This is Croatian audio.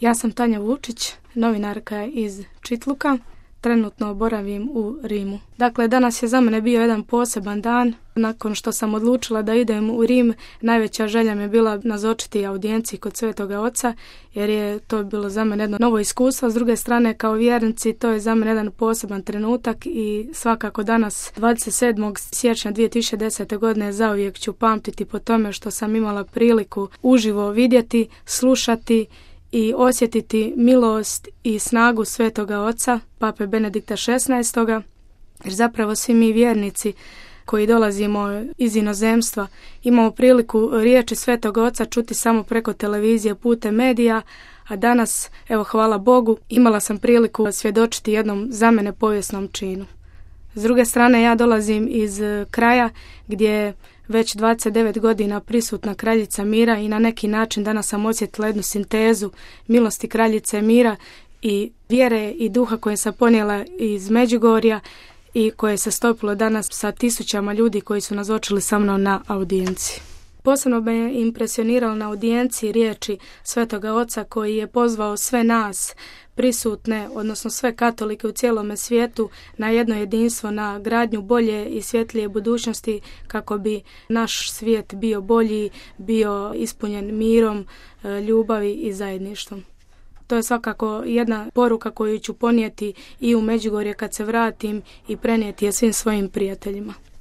Ja sam Tanja Vučić, novinarka iz Čitluka. Trenutno boravim u Rimu. Dakle, danas je za mene bio jedan poseban dan. Nakon što sam odlučila da idem u Rim, najveća želja mi je bila nazočiti audijenciji kod Svetoga Oca, jer je to bilo za mene jedno novo iskustvo. S druge strane, kao vjernici, to je za mene jedan poseban trenutak i svakako danas, 27. siječnja 2010. godine, zauvijek ću pamtiti po tome što sam imala priliku uživo vidjeti, slušati i osjetiti milost i snagu Svetoga Oca, Pape Benedikta XVI. Jer zapravo svi mi vjernici koji dolazimo iz inozemstva imamo priliku riječi Svetoga Oca čuti samo preko televizije, putem medija, a danas, evo hvala Bogu, imala sam priliku svjedočiti jednom za mene povijesnom činu. S druge strane, ja dolazim iz kraja gdje je već 29 godina prisutna kraljica mira i na neki način danas sam osjetila jednu sintezu milosti kraljice mira i vjere i duha koje sam ponijela iz Međugorja i koje se stopilo danas sa tisućama ljudi koji su nazočili sa mnom na audijenciji. Posebno me je impresioniralo na audijenciji riječi Svetoga Oca koji je pozvao sve nas prisutne, odnosno sve katolike u cijelome svijetu, na jedno jedinstvo, na gradnju bolje i svjetlije budućnosti kako bi naš svijet bio bolji, bio ispunjen mirom, ljubavi i zajedništvom. To je svakako jedna poruka koju ću ponijeti i u Međugorje kad se vratim i prenijeti je svim svojim prijateljima.